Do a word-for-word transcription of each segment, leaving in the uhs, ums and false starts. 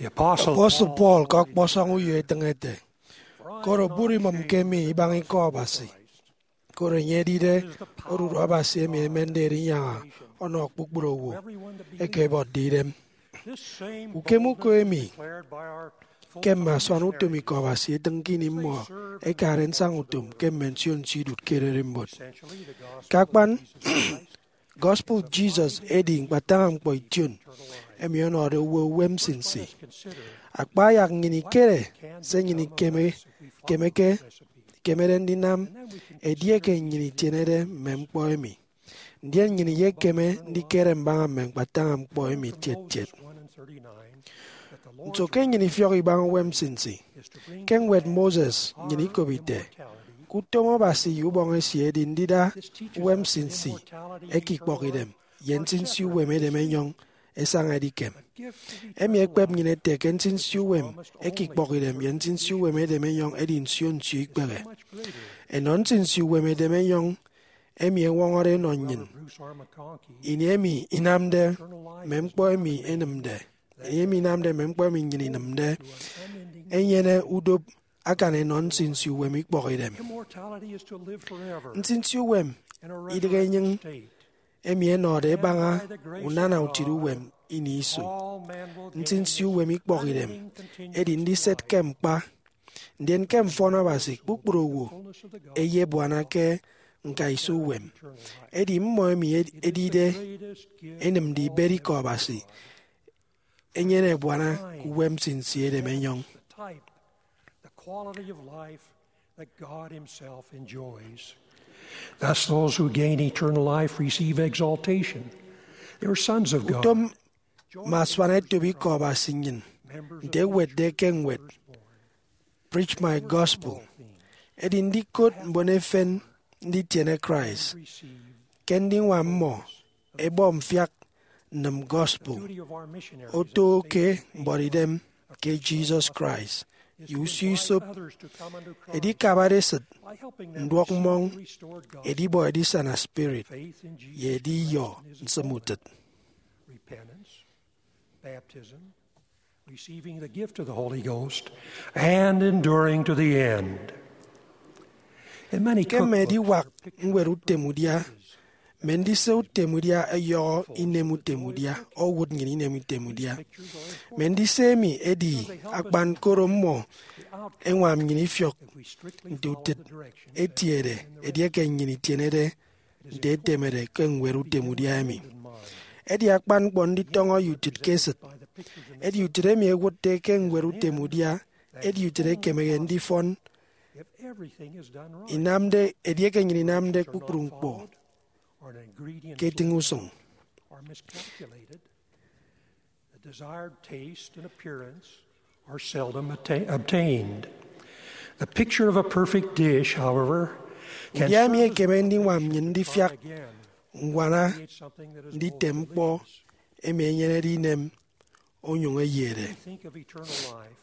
Apostle Paul ke ọkpọsọñ uyo etịñ ete, koro bụri imịmke mi ibaña ikọ Abasi, koro enye edide odudu Abasi emi emende erinyaña ọnọ kpukpru owo eke ẹbuọtde idem. Ukem uko emi ke mme asuan utom ikọ Abasi etịñ ke ini mmọ ẹkade nsaña utom ke mme nsio nsio idụt ke ererimbot. Ke akpan, gospel Jesus edi ñkpataña ñkpọ ition emi ọnọde owo uwem nsinsi. Akpa ayak nnyịn ikere se nnyịn ikeme, ikemeke, ikemede ndinam edieke nnyịn itienede mme ñkpọ emi. Ndien nnyịn iyekeme ndikere mbaña mme ñkpataña ñkpọ emi tiet tiet. Nso ke nnyịn ifiọk ibaña uwem nsinsi? Ke ñwed Moses nnyịn ikop ite, ke utom Abasi ye ubọñ esie edi ndida uwem nsinsi eke ikpọkidem ye nsinsi uwem edem enyọñ esaña edikem. Emi ekpep nnyịn ete ke nsinsi uwem eke ikpọkidem ye nsinsi uwem edem enyọñ edi nsio nsio ikpehe. Enọ nsinsi uwem edem enyọñ emi ẹñwọñọde ẹnọ nnyịn ini emi inamde mme ñkpọ emi enịmde, ini emi inamde mme ñkpọ emi nnyịn inịmde, enyene udop akan enọ nsinsi uwem ikpọkidem. Nsinsi uwem idịghe enyịñ emi ẹnọde ẹbaña unana utịt uwem ini iso. Nsinsi uwem ikpọkidem edi ndiset ke ñkpa, ndien ke mfọn Abasi kpukpru owo ẹyebuana ke ñkaiso uwem. Edi mmọ emi ed- edide enịmde ibet ikọ Abasi enyene ebuana ke uwem nsinsi edem enyọñ. The quality of life that God Himself enjoys. Thus, those who gain eternal life receive exaltation. They are sons of God. Utom mme asuan etop ikọ Abasi nnyịn, nte ewetde ke ñwed Preach My Gospel, edi ndikot mbon efen nditiene Christ ke ndiñwam mmọ ẹbọ mfiak nnịm gospel, oto ke mbuọtidem ke Jesus Christ, ye usio isop, edikabade esịt, nduọk mmọñ, edibọ edisana spirit, ye ediyọ nsịm utịt. Repentance, baptism, receiving the gift of the Holy Ghost, and enduring to the end. Ke mme ediwak ñwed utem udia, mme ndise utem udia ẹyọhọ inem utem udia, owụt nnyịn inem utem udia. Mme ndise emi edi akpan koro mmọ ẹñwam nnyịn ifiọk nte utịt etiede edieke nnyịn itienede nte etemede ke ñwed utem udia emi. Edi akpan ñkpọ nditọñọ ye utịt ke esịt. Edi utịt emi ẹwụtde ke ñwed utem udia edi utịt ekemehe ndifọn inamde edieke nnyịn inamde kpukpru ñkpọ ke etịñ usụñ. The desired taste and appearance are seldom atta- obtained. The picture of a perfect dish, however, can Udia emi serve as ekeme ndiñwam nnyịn ndifiak again ññwana something that is nditem ñkpọ emi enyenede inem onyụñ eyede. Think of eternal life.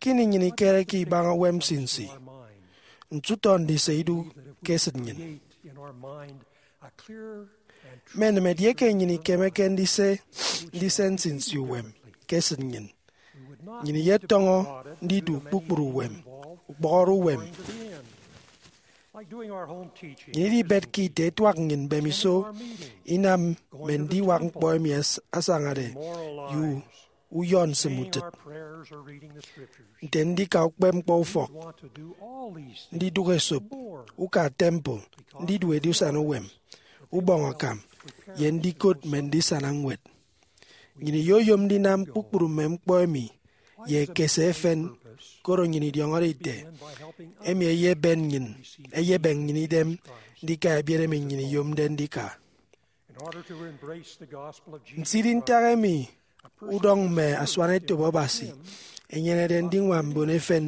Ke ini nnyịn ikereke ibaña uwem nsinsi, ntutọ ndise idu ke esịt nnyịn. Create in our mind a clear and Mme nịm edieke nnyịn ikemeke ndise ndise nsinsi uwem ke esịt nnyịn, nnyịn iyetọñọ ndidu kpukpru uwem, ukpọhọre uwem. Nnyịn idibetke ite etuak nnyịn mbemiso inam mme ndiwak ñkpọ emi as- asañade ye u- uyọ nsịm utịt, nte ndika ukpepñkpọ ufọk, ndidụk esop, uka temple, ndidu edisana uwem, ubọñ akam, ye ndikot mme ndisana ñwed. Nnyịn iyoyom ndinam kpukpru mme ñkpọ emi ye ekese efen, koro nnyịn idiọñọde ite emi eyeben nnyịn, eyebịn nnyịn idem ndika ebiet emi nnyịn iyomde ndika. Nsidi ntak emi udọñ mme asuan etop Abasi enyenede ndiñwam mbon efen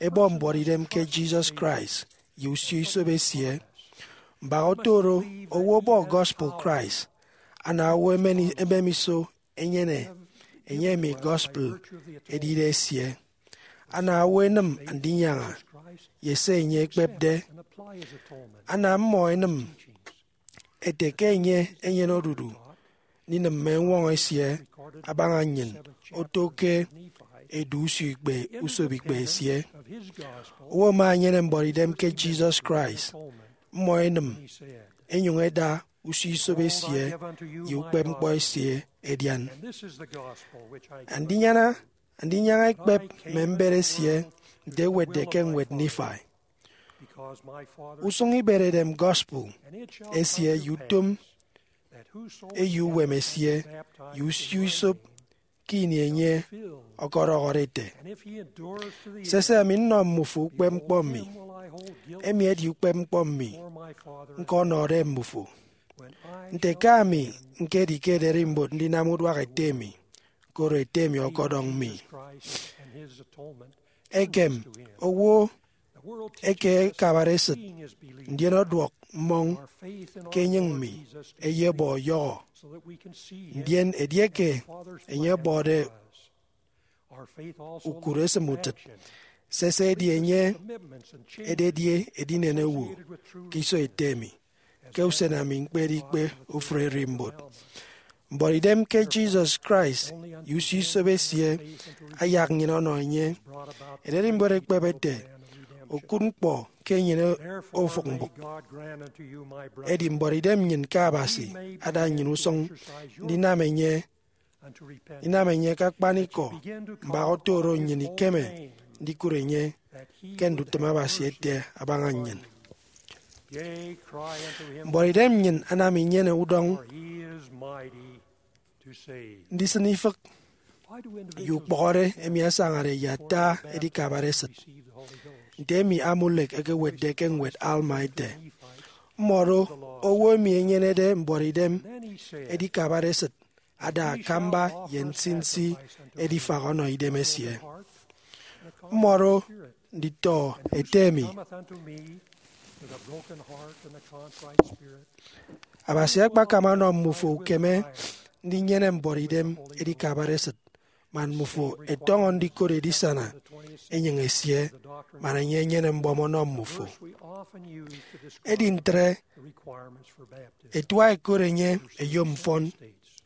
ẹbọ mbuọtidem ke Jesus Christ ye usio isop esie. Mbak oto oro, owo ọbọ gospel Christ, ana owo emen- emem iso enyene enye emi gospel edide esie. Ana owo enịm Andinyaña ye se enye ekpepde. Ana mmọ enịm ete ke enye enyene odudu ndinịm mme eñwọñọ esie abaña nnyịn oto ke edu usio ikpe usop ikpe esie. Owo ama enyene mbuọtidem ke Jesus Christ, mmọ enịm, enyụñ eda usio isop esie ye ukpepñkpọ esie edian. Andinyaña, andinyaña ekpep mme mbet esie nte ewetde ke ñwed Nifai. Usụñ iberedem gospel esie ye utom eyo uwem esie ye usio isop ke ini enye ọkọdọhọde ete, sese, ami nnọ mmufo ukpepñkpọ mi. Emi edi ukpepñkpọ mi ñkọnọde mmufo, nte ke ami ñkedi ke ererimbot ndinam uduak ete mi, koro ete mi ọkọdọñ mi. Ekem owo eke akabade esịt, ndien ọduọk mmọñ ke enyịñ mi, eyebọ ọyọhọ, ndien edieke enye ọbọde ukụre esịm utịt, sese, edi enye ededi edinen owo ke iso ete mi, ke usen ami ñkpedi ikpe ofụri ererimbot. Mbuọtidem ke Jesus Christ ye usio isop esie ayak nnyịn ọnọ enye. Ererimbot ekpep ete, okụt ñkpọ ke enyene ofụk mbụk. Edi mbuọtidem nnyịn ke Abasi ada nnyịn usụñ ndinam enye inam enye ke akpanikọ mbak oto oro nnyịn ikeme ndikụt enye ke ndutịm Abasi ete abaña nnyịn. Mbuọtidem nnyịn anam inyene udọñ ndisịn ifịk ye ukpọhọde emi asañade ye ata edikabare esịt. Nte emi Amulek ekewetde ke ñwed Alma ete, mmọdo owo emi enyenede mbuọtidem edikabare esịt ada akamba ye nsinsi edifak ọnọ idem esie. Mmọdo nditọ ete emi, Abasi akpakam ọnọ mmufo ukeme ndinyene mbuọtidem edikabare esịt, man mmufo ẹtọñọ ndikot edisana enyịñ esie, man enye enyene mbọm ọnọ mmufo. Edi ntre, ẹtua ẹkot enye eyomfọn,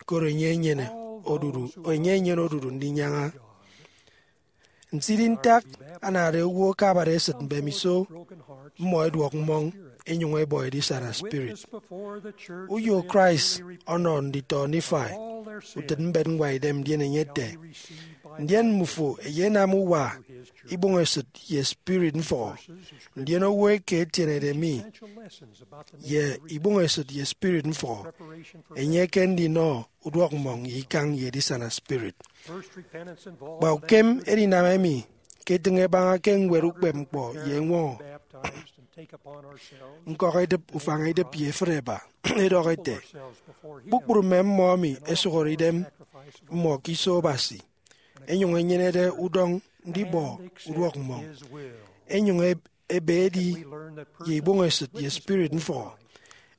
koro enye enyene odudu, enye enyene odudu ndinyaña. Nsidi ntak anade owo akabade esịt mbemiso mmọ ẹduọk mmọñ, enyụñ ẹbọ edisana spirit. Uyo Christ ọnọ nditọ Nifai utịt mbet ñwaidem, ndien enye ete, ndien mmufo ẹyenam uwa, ibụñesịt, ye spirit mfọhọ, ndien owo eke etienede mi ye ibụñesịt ye spirit mfọhọ, enye ke ndinọ uduọkmmọñ ye ikañ ye edisana spirit. Kpa ukem edinam emi ke etịñ ebaña ke ñwed ukpepñkpọ ye eñwọñọ ñkọk edịp, ufañ idịp ye efịt eba, edọhọ ete, kpukpru mme mmọ emi ẹsụhọre idem mmọ ke iso Abasi, ẹnyụñ ẹnyenede udọñ ndibọ uduọkmmọñ, ẹnyụñ ebe edi ye ibụñesịt ye spirit mfọhọ,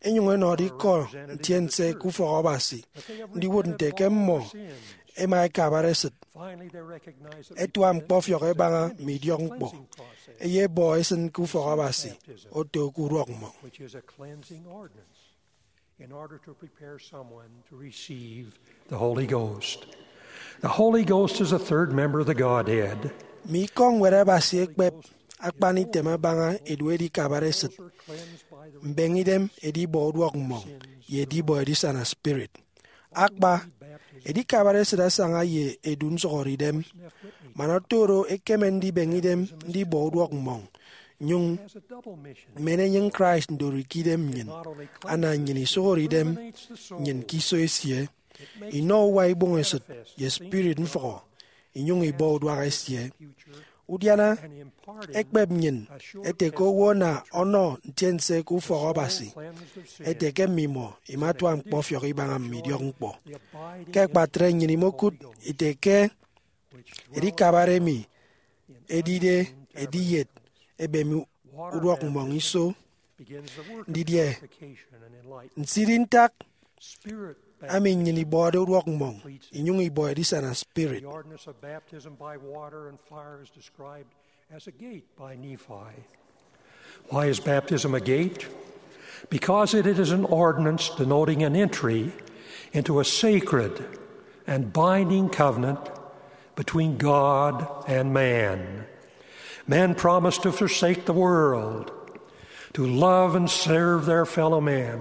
ẹnyụñ ẹnọde ikọ ntiense ke ufọk Abasi, ndiwụt nte ke mmọ ẹma ẹkabare esịt, ẹtua ñkpọfiọk ẹbaña mme idiọkñkpọ, ẹyebọ ẹsịn ke ufọk Abasi, oto ke uduọkmmọñ. In order to prepare someone to receive the Holy Ghost. The Holy Ghost is a third member of the Godhead. Mme ikọ ñwed Abasi ekpep akpan item abaña edu edikabare esịt, mbeñe idem, edibọ uduọkmmọñ, ye edibọ edisana spirit. Akpa, edikabare esịt asaña ye edu nsụhọre idem, man oto oro ekeme ndibeñe idem ndibọ uduọkmmọñ, nyụñ men enyịñ Christ ndori ke idem nnyịn, ana nnyịn isụhọre idem nnyịn ke iso esie, inọ uwa ibụñesịt ye spirit mfọhọ, inyụñ ibọ uduak esie. Udiana ekpep nnyịn ete ke owo ana ọnọ ntiense ke ufọk Abasi, ete ke mmimọ imatua ñkpọfiọk ibaña mme idiọkñkpọ. Ke akpatre nnyịn imokụt ite ke edikabare emi edide ediyet ebem uduọkmmọñ iso. Ndidie nsidi ntak ami nnyịn ibọde uduọkmmọñ inyụñ ibọ edisana spirit. The ordinance of baptism by water and fire is described as a gate by Nephi. Why is baptism a gate? Because it is an ordinance denoting an entry into a sacred and binding covenant between God and man. Men promise to forsake the world, to love and serve their fellow men,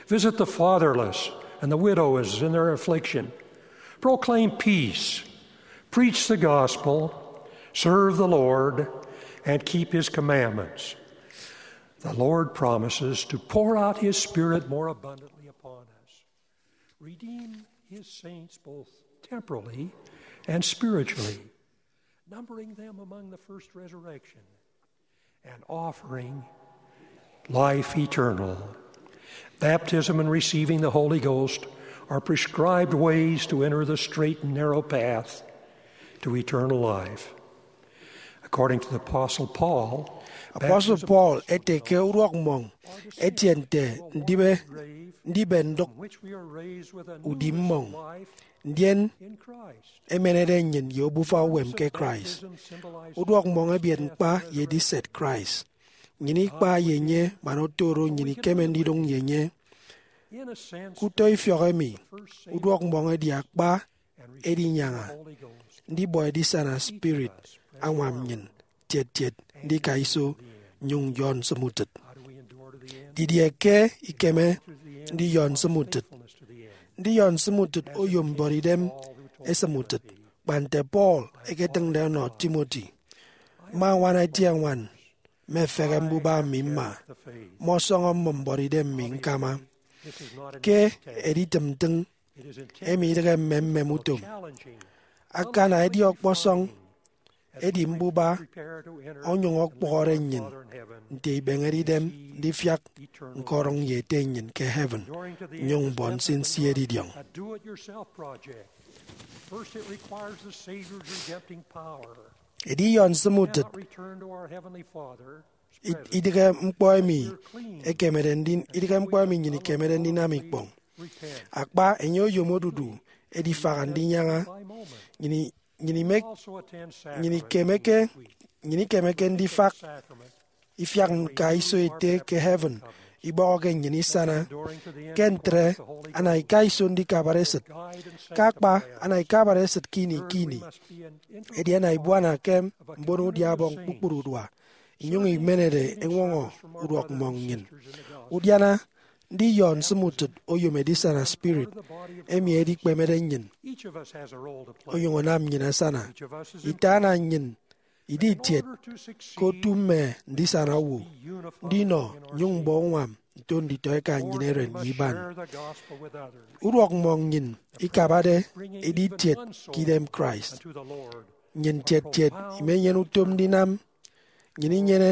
visit the fatherless and the widows in their affliction, proclaim peace, preach the gospel, serve the Lord, and keep his commandments. The Lord promises to pour out his Spirit more abundantly upon us, redeem his saints both temporally and spiritually, numbering them among the first resurrection, and offering life eternal. Baptism and receiving the Holy Ghost are prescribed ways to enter the straight and narrow path to eternal life. According to the Apostle Paul, Apostle Paul ete ke uduak mmọñ etie nte ndibe ndibe ndụk udi mmọñ, ndien emenede nnyịn ye obufa uwem ke Christ. Uduak mmọñ ebiet ñkpa ye ediset Christ. Nnyịn ikpa ye enye man oto oro nnyịn ikeme ndidụñ ye enye. Ke utọ ifiọk emi, uduak mmọñ edi akpa edinyaña ndibọ edisana spirit añwam nnyịn tiet tiet ndika iso nnyụñ yọ nsịm utịt. Didie ke ikeme ndiyọ nsịm utịt? Ndiyọ nsịm utịt oyom mbuọtidem esịm utịt, kpa nte Paul eketịñde ọnọ Timothy. Mma ñwana eti eñwan, mmefehe mbuba mi mma, mmọsọñọ mmụm mbuọtidem mi ñkama. Ke editịm ntịñ, emi idịghe mmemmem utom. Akana edi ọkpọsọñ, edi mbuba onyụñ ọkpọhọre nnyịn nte ibeñede idem ndifiak ñkọdụñ ye Ete nnyịn ke heaven nnyụñ mbọ nsinsi edidiọñ. Ediyọ nsịm utịt idịghe ñkpọ emi ekemede ndi- idịghe ñkpọ emi nnyịn ikemede ndinam ikpọñ. Akpa, enye oyom odudu edifaha ndinyaña. Nnyịn i- nnyịn ime- nnyịn ikemeke nnyịn ikemeke ndifak ifiak ñka iso Ete ke heaven ibọhọke nnyịn isana. Ke ntre, ana ika iso ndikabare esịt. Ke akpa, ana ikabare esịt ke ini ke ini. Edi ana ibuana ke mbon udia Ọbọñ kpukpru udua, inyụñ imenede eñwọñọ uduak mmọñ nnyịn. Udiana ndiyọ nsịm utịt oyom edisana spirit emi edikpemede nnyịn onyụñ anam nnyịn asana. Ite ana nnyịn idi itiet ke otu mme ndisana owo, ndinọ nnyụñ mbọ uñwam nto nditọeka nnyịn eren ye iban. Uduak mmọñ nnyịn ikabade edi itiet ke idem Christ. Nnyịn tiet tiet imenyene utom ndinam. Nnyịn inyene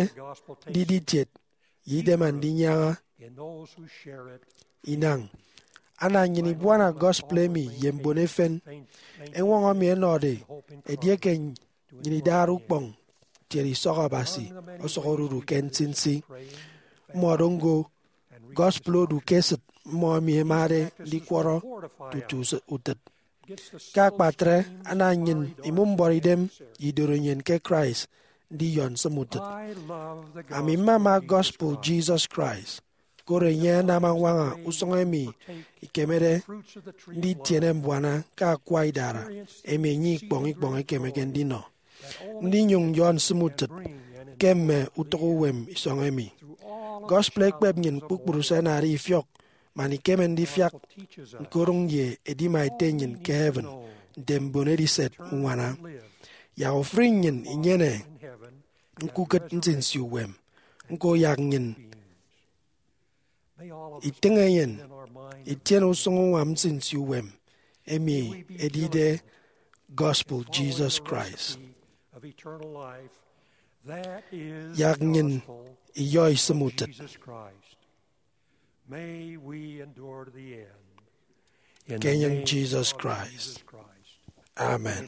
ndidi itiet ye idem andinyaña inañ. Ana nnyịn ibuana gospel emi ye mbon efen. Eñwọñọ emi ẹnọde edieke nnyịn idade ukpọñ tiene isọk Abasi ọsọk odudu ke nsinsi. Mmọdo ñko gospel odu ke esịt mmọ emi ẹmade ndikwọrọ tutu utịt. Ke akpatre, ana nnyịn imụm mbuọtidem ye idorenyin ke Christ ndiyọ nsịm utịt. Ami mmama gospel Jesus Christ, koro enye anam añwaña usụñ emi ikemede nditiene mbuana ke akua idara emi enye ikpọñ ikpọñ ekemeke ndinọ, ndinyụñ nyọ nsịm utịt ke mme utịk uwem isọñ emi. Gospel ekpep nnyịn kpukpru se ẹnade ifiọk man ikeme ndifiak ñkodụñ ye edima Ete nnyịn ke heaven nte mbon ediset uñwana. Yak ofụri nnyịn inyene ñkukịt nsinsi uwem. Ñko yak nnyịn itịñ enyịn itiene usụñ uñwam nsinsi uwem emi edide gospel Jesus Christ. Yak nnyịn iyọ isịm utịt. Ke enyịñ Jesus Christ. Amen.